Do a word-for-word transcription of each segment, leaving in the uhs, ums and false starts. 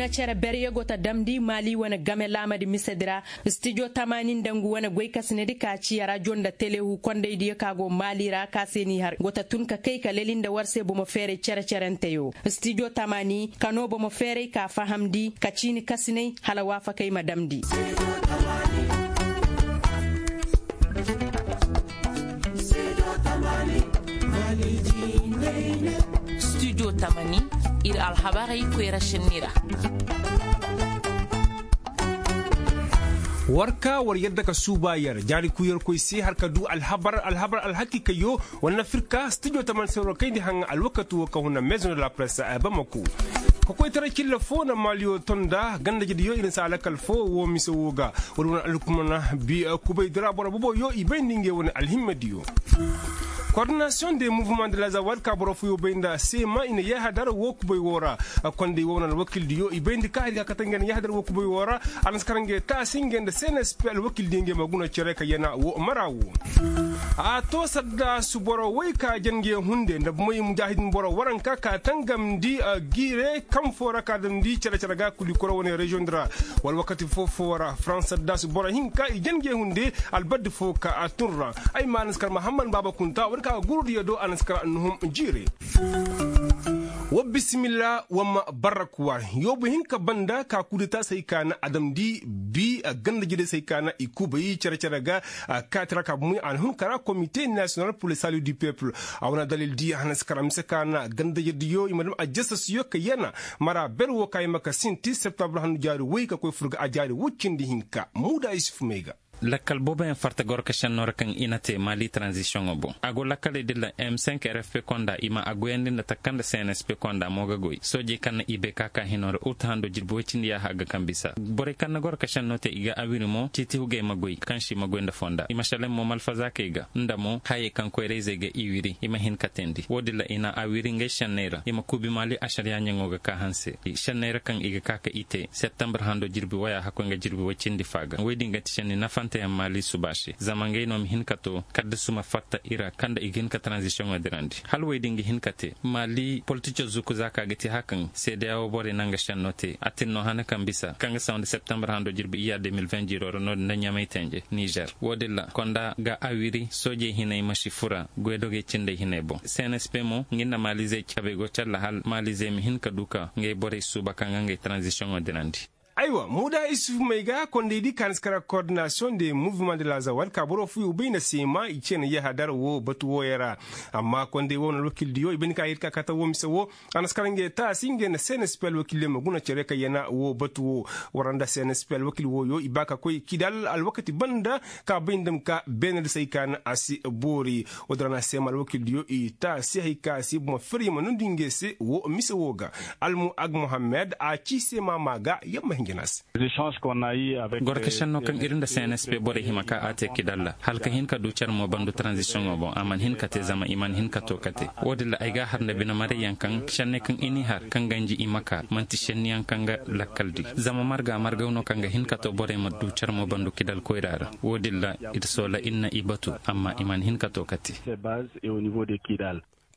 Cere berye go ta damndi maali wane game laamadi misedi ra. Stijo tamaani nda ngu wane goykasinedi ka ci rajo nda telehu kondaydiyo ka go maali ra ka se n'i har go ta tun ka kay ka leli nda war se bomo feeray cere-cerenteyo. Stijo tamaani ka noo bomo feeray ka fahamndi ka ciini kasinay hala waafakay ma damndi. Studio tamani, ir alhabarey koyra šenni ra. War ka war yadda ka suuba yer jaari kuyarkoy se har ka du alhabar alhabar alhakiikayyo. War na firka studio tamani se war kayndi haŋa alwakati wo ka huna maison de la presse bamako. Ka koytaray cilla fo na maaliyo tonda gandajediyo ir na si alakal fo wo mise wo ga. War wane alkumana bi kubay dira boro boboyo i bayndi ngey wane alhimmadiyo. Kordinasiyoŋ de muvuman de la zawad ka boro fuyo bay nda seema i na yahadar wo kubay wo ra. Kondey wo wane alwakildiyo i bayndi ka hari ka kate ngey na yahadar wo kubay wo ra. A na si kar ngey taasi ngey nda cnsp alwakildiyo ngey ma guna cere ka yana wo mara wo. A to saddaasu boro woy ka jan ngey hunde nda moy mujaahidin boro waranka ka tangamndi. Giire kaŋ foo ra ka damndi cere-cere ga kuli koro wane reziyoŋ di ra. Wala wakati foo-foo ra farans saddaasu boro hinka i jan ngey hunde. Albaddi foo ka a tun ra. Ay ma a na si kar mahammad baaba kunta war ka ga gurudiyo do a na si kar nuhum jiire. Wa bisimilla wa ma barrakuwa. Yoobu hinka banda ka kudeta se hay ka na a damndi bi ganda jire se hay ka na i kubay cere-cere ga. Kaati ra ka bumey a na hun kara komite nasiyonal pur le sali du pepul. A wane dalil di a na si kara mise ka na ganda jirediyo i ma dam a jasasiyo ka yana. Mara ber wo ka i ma ka sinti septambur handu jaari woy ka koy fur ga a jaari woy cindi hinka muuda isuf may ga. Lakkal booboyaŋ farta gorka šennoo ra kaŋ i na te maali taranzisiyoŋo boŋ a go lakkaley din ra m cinq r f p konda i ma a goyandi nda taka kaŋ nda cnsp konda mo ga goy soojey kaŋ na i bay ka ka hinoo ra uta hando jirbi woy cindi yaaha ga kaŋ bisa borey kaŋ na gorka šennoo te i ga awiri mo ciiti hugey ma goy kaŋ se i ma goy nda fonda i ma šelaŋ mo malfazaakey ga nda mo hayey kaŋ koyrayzey ga i wiri i ma hin ka teendi wo- din ra i na awiri ngey šenney ra i ma kuubi maali ašariyaa ɲaŋo ga ka hanse šenney ra kaŋ i ga ka ka i te septambur hando jirbi woy a hakkoy nga jirbi woy cindi fa ga woy din ga ti šenni nafanteyaŋ maali suba se zama ngey no ma hin ka to kaddasu ma fatta i ra kaŋ nda i ga hin ka taranzisiyoŋo dirandi hala woy din ga hin ka te maali politico zuku za ka ga ti hakaŋ seedeya wo borey na nga šenno te a tin no hane kaŋ bisa kaŋ ga saw nda septambur hando jirbi iyya deux mille vingt jiiro ra no- din nda ɲamay tenje nizer wo- din ra konda ga awiri soojey hinay ma si fura goydogey cindey hinay boŋ cnsp mo nga nda maalizey cabey go calla hala maalizey ma hin ka du ka ngey borey suuba kaŋ ga ngey taranzisiyoŋo dirandi. Aywa muuda isufu may ga kondey di ka na si kara kordinasiyoŋ de muvuman de la zawal ka boro fuyo bay na seema i ce na yahadar wo batu wooyo ra. Amma kondey wo na alwakildiyo i bay ni ka ir ka kata wo mise wo a na si kara ngey taasi ngey na cnsp alwakildiyo ma guna cere ka yana wo batu wo. War nda cnsp alwakil wooyo i ba ka koy kidal alwakati banda ka bay nda ma ka beene da se ay ka na a si boori. Wo- din ra na seema alwakildiyo i taasi hay ka se bomo fir ya ma nundi ngey se wo mise wo ga. Almu ag mohammed a ci seema maa ga ya ma hinja na se. Gorka šennoo kaŋ ir nda cnsp borey hima ka a te kidal ra hala ka hin ka du car mo bandu taranzisiyoŋo boŋ a mana hin ka te zama i mana hin ka to kate. Wo- din ra ay ga a har nda bine marayyaŋ kaŋ šenney kaŋ i n'i har kaŋ ganji i ma ka man'ti šenniyaŋ kaŋ ga lakkal di zama marga margaw no kaŋ ga hin ka to borey ma du car mo bandu kidal koyra ra. Wo- din ra ir soola ir na i batu amma i mana hin ka to kate.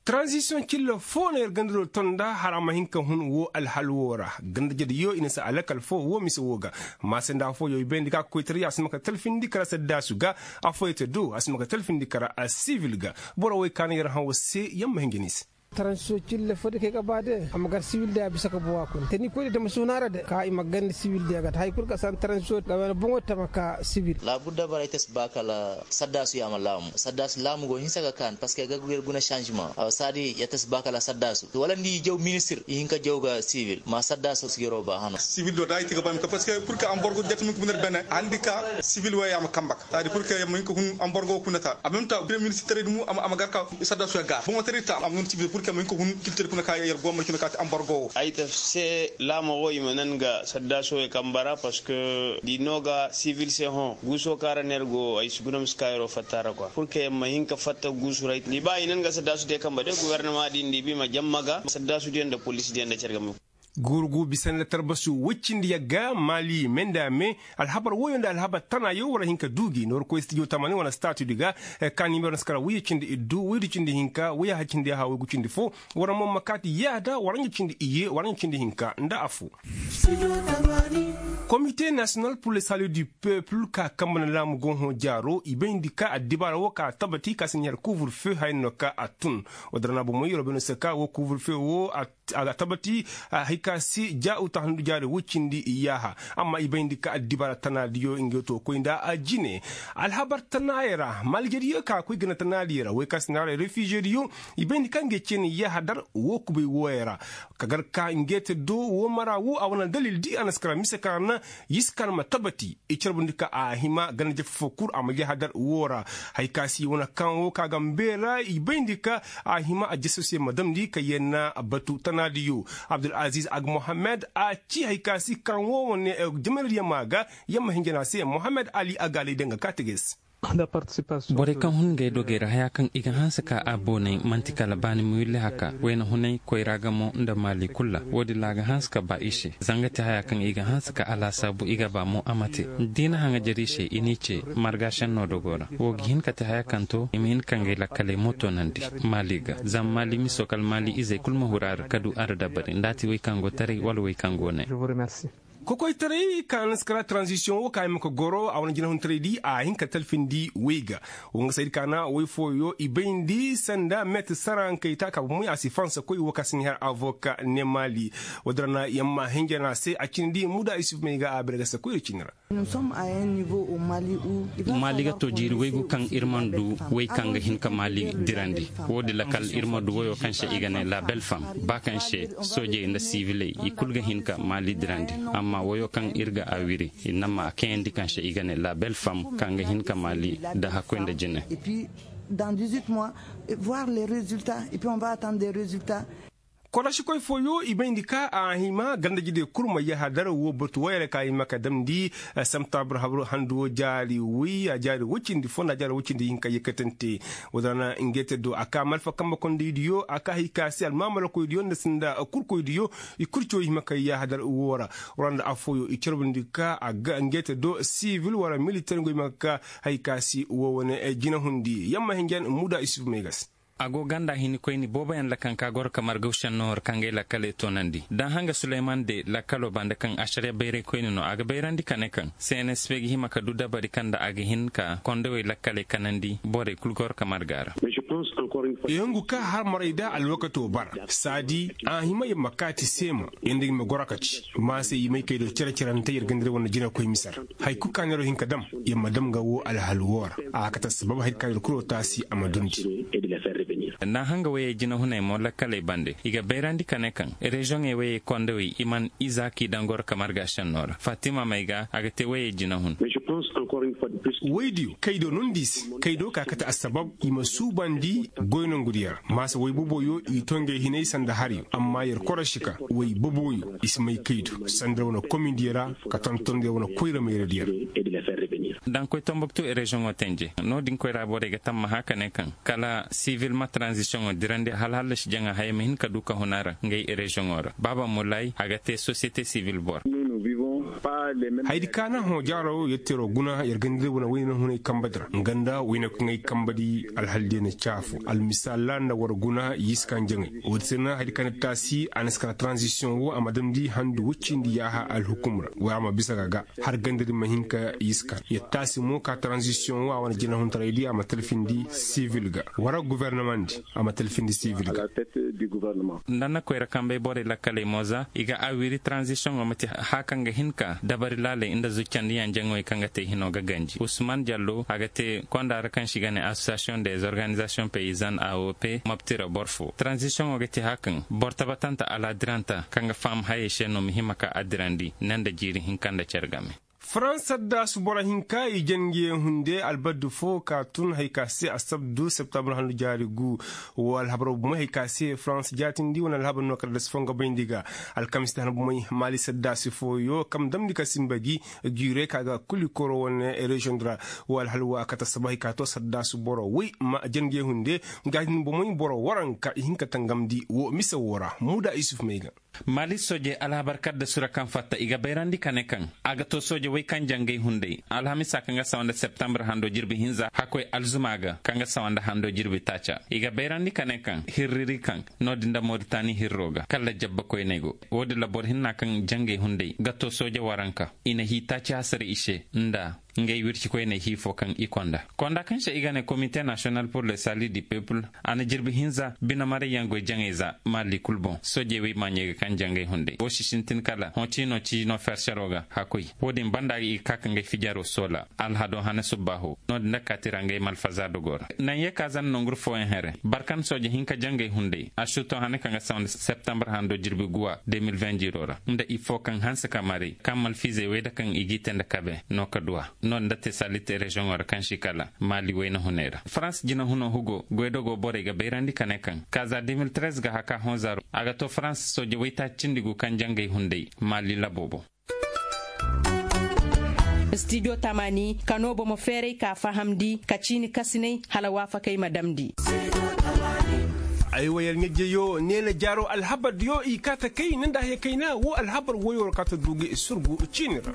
Taranzisiyoŋ cilla fo no yer gandado tonda hala a ma hin ka hun wo alhal wo ra. Ganda jediyo i na si a lakal fo wo mise wo ga. Maasanda fooyo i bayndi ka koytariya a si ma ka talfindi kala saddaasu ga. Afooyo te do a si ma ka talfindi kala a sibil ga. Boro woy ka na yer hã wo se yer ma hin ga ni se. Taranzisiyoŋ cilla fo de kaŋ ay ga ba de a ma gar sibil de a bisa ka bowa kuna te ni koy de dama suuna ra de ka i ma ganda sibil de ga te hari kulu ka san taranzisiyoŋ ga wane boŋo tama ka sibil. Laabudda bara ay te si ba kala saddaasu yaama laamu saddaasu laamu go hinsa ga kaan parceque ga yer guna sanzima awa saadi ya ta si ba kala saddaasu wala nda i jaw ministir i hin ka jaw ga sibil ma saddaasu si yeroo ba hano. Sibil do da i ti ga ba mi ka parceque pur ka amborgo jatami ka bunir bene a handi ka sibil wey a ma kamba saadi pur ka yamma hin ka hun amborgo kuna ta a même ta premier ministir taray dumu a ma gar ka saddaasu ya gar boŋo taray ta a ma hun sibil pur ka yamma hin ka hun kiltir kuna ka yer gomar kuna ka ta amborgo wo. Ay ta se laama wo i ma nan ga saddaasu wey kamba ra parceque di no ga sibil se hõ guuso kaŋ ra no yer go ay si guna ma si ka yeroo fatta ra kwa pur ka yamma hin ka fatta guusu ra ay ta ni ba i nan ga saddaasu te kamba de gubernama di nda i bi ma jamma ga saddaasu diyaŋ nda poliisi diyaŋ nda care ga ma. Gurugu bisa nda tarbasu woy cindi yagga maali me nda me. Alhabar woyo nda alhabar tanayo war hin ka du gi ni war koy stijo tamani wane staatudi ga. Ka nimeero na si kara woy cindi iddu woy du cindi hinka woy ya cindi ya ha woy gu cindi fo. War mo ma kaati yaada war ɲa cindi iye war ɲa cindi hinka nda afo. Komite nasiyonal pur le sali du pepul ka kambe na laamu go hõ jaaro i bayndi ka addibaara wo ka a tabati ka si ɲa yer kuuburfe haya no ka a tun. Wo dira na bomoy yeroo bay no se ka wo kuuburfe wo a ga tabati. Hay ka si ja uta handu jaari woy cindi yaaha. Amma i bayndi ka addibaara tanaadiyo ngey to koy nda a jine. Alhabar tanaayey ra maaliijediyo ka koy gana tanaadiyey ra woy ka si naaray refiziyediyo. I bayndi ka ngey ceeni yaaha dar wo kubay wooyey ra. Ka gar ka ngey te do wo mara wo a wane dalil di a na si kara mise ka na yiskan ma tabati. I carbundi ka a hima ganda jefefo kul a ma yahadar wo ra. Hay ka si wane kaŋ wo ka ga mbeera i bayndi ka a hima a jeso se ma damndi ka yenna batu tanaadiyo. Abdul aziz ag mohammed a ci hay ka si kaŋ wo wane jamanadiyo ma ga. Yamma hinjana se mohammed ali a ga alay danga ka teges. Borey kaŋ hun ngey dogey ra haya kaŋ i ga hanse ka a boonay man'ti kala baani ma willi haka wayna hunay koyra ga mo nda maali kul ra. Wo-din ra a ga hanse ka ba i se zanga te haya kaŋ i ga hanse ka alaasaabu i ga ba mo a ma te. Da i na haŋajer i se i n'i ce marga senno dogo ra wo ga hin ka te haya kaŋ to i ma hin ka ngey lakkaley mo toonandi maali ga. Zama maali miso kala maali izey kul ma huru a ra ka du a ra dabari nda a te wey kaŋ go taray wala wey kaŋ go ne. Kokoytaray ka na si kara taranzisiyoŋ wo ka hima ka goro a wane jinahuntaray di a hin ka talfindi wey ga. Wo nga saydi ka na wey fooyo i bayndi sanda meetir sarankey ta ka bomoy a si fansa koy wo ka si ni har avoka ne maali. Wo-din ra na yamma hinja no a se a cindi muda isuf may ga a bere ga se koy da cindi ra. Maali ga to jiiri waygu kaŋ ir mana du way kaŋ ga hin ka maali dirandi. Wo-din lakal ir ma du wayo kaŋ se i ga ne la belle femme ba kaŋ se soojey nda siviley i kul ga hin ka maali dirandi. Amma wayo kaŋ ir ga a wiri i na ma a kayandi kaŋ se i ga ne la belle femme kaŋ ga hin ka maali da hakkoy nda jine. Dans dix-huit mois, voir les résultats et puis on va attendre des résultats. Korosikoy fooyo i bayndi ka a hima gandajidey kul ma yahadar wo batu wayra ka hima ka damndi. Samtaabur habaru handu wo jaari woy a jaari woy cindi fo nda a jaari woy cindi hinka yekkatante. Wo-din ra na ngey te do a ka malfa kambe kondaydiyo a ka hay ka se almaamalakoydiyo nda sinda kurkoydiyo. I kul ci wo hima ka yahadar wo ra. War nda affooyo i carbundi ka a ga ngey te do sivil wala militer ngo hima ka ka hay ka se wo wane jinahundi yamma hinjan muda isuf may ga se. A go ganda hinikoyni booboyaŋ ra kaŋ ka goro ka margaw senno war kaŋ gay lakkaley toonandi da hanga suleyman de lakkalo banda kaŋ ašariya bayraykoyni no a ga bayrandi ka ne kaŋ cnsp ga hima ka du dabari kaŋ nda a ga hin ka kondowey lakkaley kanandi borey kul goro ka marga ra. Yongu ka har maray da alwakato bara saadi a hima yer ma kaati seema yer nda yer ma goro ka ci. Maasey i may kay do cere-cerante yer gandira wane jinakoy mise ra. Hari kul ka neeroo hin ka dam yer ma dam nga woo alhal woo ra. A ga kate assabab hari ka neeroo kuloo taasi a ma dundi. Nda hanga wayey jinahuney mo lakkaley bande i ga bayrandi ka ne kaŋ reziyoŋey wayey kondowey i man iza k'i daŋ goro ka marga sennoo ra fatima may ga a ga te wayey jinahun. Waydiyo kaydo no nda i se kaydo ka kate assabab i ma suubandi goy nongudiyo ra maasa way boboyo i to ngey hinay sanda hariyo amma yer korosi ka way boboyo i si may kaydo sanda wane komindiyo ra ka tonton yer wane koyra mayradiyo ra. Daŋ koy tomboktu reziyoŋo tenje no- din koyra borey ga tammaha ka ne kaŋ kala sivil ma taranzisiyoŋo dirandi hala hallasi jaŋa haya ma hin ka du ka hun a ra ngey reziyoŋo ra baaba mulaay a ga te sosiyete sivil boro. Hayadi ka naŋ hõ jaaro yetteeroo guna yer ganda day wane wayna hunay kambadi ra nga nda wayna kaŋ ay kambadi alhaldiyo na caafu almisaal ra nda war guna yiskaŋ jaŋay. Woodi se na hayadi ka na taasi a na si kara taranzisiyoŋ wo a ma damndi handu woy cindi yaaha alhukum ra wala a ma bisa ga ga har ganda din ma hin ka yiskaŋ yer taasi mo ka taranzisiyoŋ wo a wane jinahuntaray di a ma talfindi sivil ga wala gofornamaŋ di a ma talfindi sivil ga. Nda na koyra kambey borey lakkaley mo za i ga a wiri taranzisiyoŋo ma ti haya kaŋ ga hin ka dabari laaley nda zuccandiyaŋ jaŋoy kaŋ ga te hino ga ganji usman jallo a ga te konda ra kaŋ se i ga ne asosiyasiyoŋ de zorganizasiyoŋ peyizan a o p mobti ra boro fo taranzisiyoŋo ga te haya kaŋ boro tabatanta alaadiranta kaŋ ga faham hayey se no ma hima ka a dirandi ne nda jiiri hinka nda cere game. Farans addaasu boro hinka i jange hunde albaddi fo ka tun hari ka se asabdu septambar handu jaari gu. Wo alhabar bomey hari ka se farans jaatindi wane alhabar no kala da si fo nga bayndi ga. Alkamis da han bomey maali saddaasi fooyo kam damndi ka simba gi. Jure ka ga kuli koro wane reziyoŋ di ra. Wo alhalwa kata saba hari ka to saddaasi boro woy ma jange hunde. Nga hin bomey boro waranka i hin ka tangamndi wo mise wo ra muda isuf may ga. Maali sooje alhabar kadda sura kaŋ fatta i ga bayrandi ka ne kaŋ a ga to sooje woy kaŋ jangay hunday alhamisa kaŋ ga sawa nda septambar hando jirbi hinza hakkoy alzuma ga kaŋ ga sawa nda hando jirbi taaca i ga bayrandi ka ne kaŋ hirriri kaŋ no- din nda moritani hirro ga kala jabba koyney go. Wo- din ra boro hinna kaŋ jangay hunday ga to sooje waranka i na hii taaci hasara i se nda ngey wircikoyney hii fo kaŋ i konda konda kaŋ se i ga ne komite nasiyonal pur le sali di pepul. A na jirbi hinza bine marayyaŋ goy jaŋey za maali kul boŋ soojey wey maaɲey ga kaŋ jaŋ ngey hunday wo si sintin kala hõ ciino ciino fersero ga hakkoy. Wo-din banda ga i ga ka ka ngey fijaro soola alhado hane subbaaho no- din nda kaati ra ngey ma alfaza dogo ra. Naŋ ye ka zan nongur fooyaŋ here barkan sooje hinka jaŋ ngey hunday a suto hane kaŋ ga saw nda septambar hando jirbi guwa de mil vingt jiiro ra nda i fo kaŋ hanse ka maray kaŋ malfiizey wey nda kaŋ i g'i te nda kabe no ka duwa. No- din nda te salit reziyoŋo ra kaŋ si kala maali wayna hunay ra farans jina huno hugo goydogo borey ga bayrandi ka ne kaŋ kaaza de mil trez ga haka hõ zaaro a ga to farans sooje waytaaci cindi gu kaŋ jangay hunday maali laboobo. Stijo tamani ka no bomo feeray ka fahamndi ka ciini kasinay hala waafakay ma damndi. Ay wa yar ɲajjayo neena jaaro alhabardiyo i kaata kay ni nda haya kayna wo alhabar woyo ra kaata du ga i surgu ciini ra.